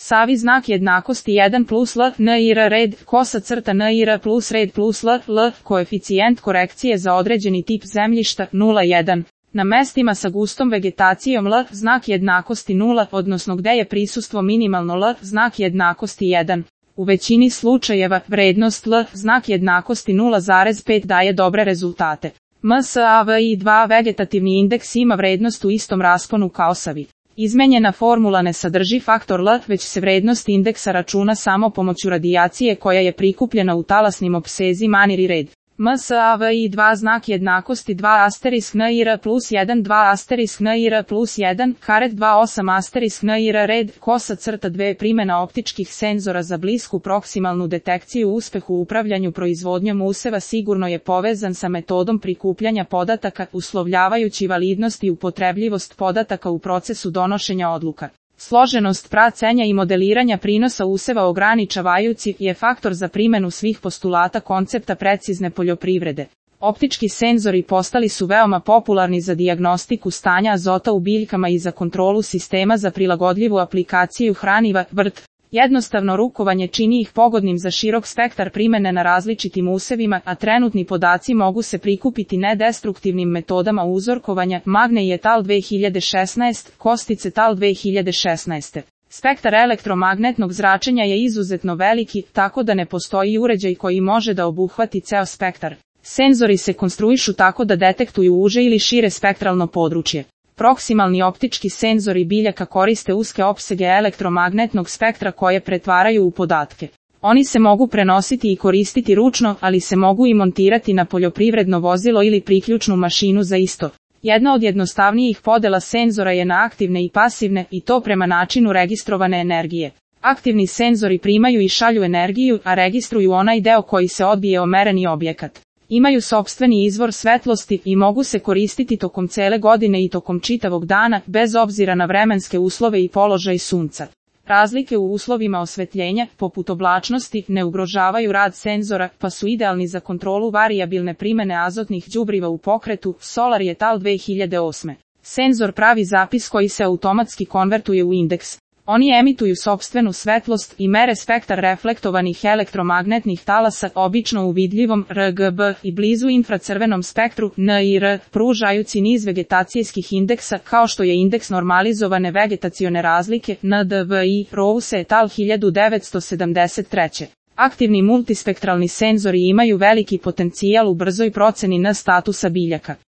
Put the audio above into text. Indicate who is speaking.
Speaker 1: Savi znak jednakosti 1 plus L, NIR red, kosa crta NIR plus red plus L, koeficijent korekcije za određeni tip zemljišta 0,1. Na mestima sa gustom vegetacijom L, znak jednakosti 0, odnosno gde je prisustvo minimalno L, znak jednakosti 1. U većini slučajeva, vrednost L, znak jednakosti 0,5 daje dobre rezultate. MSAVI2 vegetativni indeks ima vrednost u istom rasponu kao savi. Izmenjena formula ne sadrži faktor L, već se vrednost indeksa računa samo pomoću radijacije koja je prikupljena u talasnim opsezima maniri red. MSAVI2 znak jednakosti 2 asterisk NIR plus 1 2 asterisk NIR plus 1 karet 28 asterisk NIR red kosa crta 2 primjena optičkih senzora za blisku proksimalnu detekciju uspeh u upravljanju proizvodnjom useva sigurno je povezan sa metodom prikupljanja podataka uslovljavajući validnost i upotrebljivost podataka u procesu donošenja odluka. Složenost praćenja i modeliranja prinosa useva ograničavajući je faktor za primjenu svih postulata koncepta precizne poljoprivrede. Optički senzori postali su veoma popularni za dijagnostiku stanja azota u biljkama i za kontrolu sistema za prilagodljivu aplikaciju hraniva, vrt. Jednostavno rukovanje čini ih pogodnim za širok spektar primjene na različitim usevima, a trenutni podaci mogu se prikupiti nedestruktivnim metodama uzorkovanja, Magne et al. 2016, Kostić et al. 2016. Spektar elektromagnetnog zračenja je izuzetno veliki, tako da ne postoji uređaj koji može da obuhvati ceo spektar. Senzori se konstruišu tako da detektuju uže ili šire spektralno područje. Proksimalni optički senzori biljaka koriste uske opsege elektromagnetnog spektra koje pretvaraju u podatke. Oni se mogu prenositi i koristiti ručno, ali se mogu i montirati na poljoprivredno vozilo ili priključnu mašinu za isto. Jedna od jednostavnijih podela senzora je na aktivne i pasivne, i to prema načinu registrovane energije. Aktivni senzori primaju i šalju energiju, a registruju onaj deo koji se odbije o mereni objekat. Imaju sopstveni izvor svetlosti i mogu se koristiti tokom cele godine i tokom čitavog dana, bez obzira na vremenske uslove i položaj sunca. Razlike u uslovima osvetljenja, poput oblačnosti, ne ugrožavaju rad senzora, pa su idealni za kontrolu varijabilne primjene azotnih đubriva u pokretu, Solar et al. 2008. Senzor pravi zapis koji se automatski konvertuje u indeks. Oni emituju sopstvenu svetlost i mere spektar reflektovanih elektromagnetnih talasa, obično u vidljivom RGB i blizu infracrvenom spektru NIR, pružajući niz vegetacijskih indeksa kao što je indeks normalizovane vegetacione razlike NDVI, Rouse et al. 1973. Aktivni multispektralni senzori imaju veliki potencijal u brzoj proceni N statusa biljaka.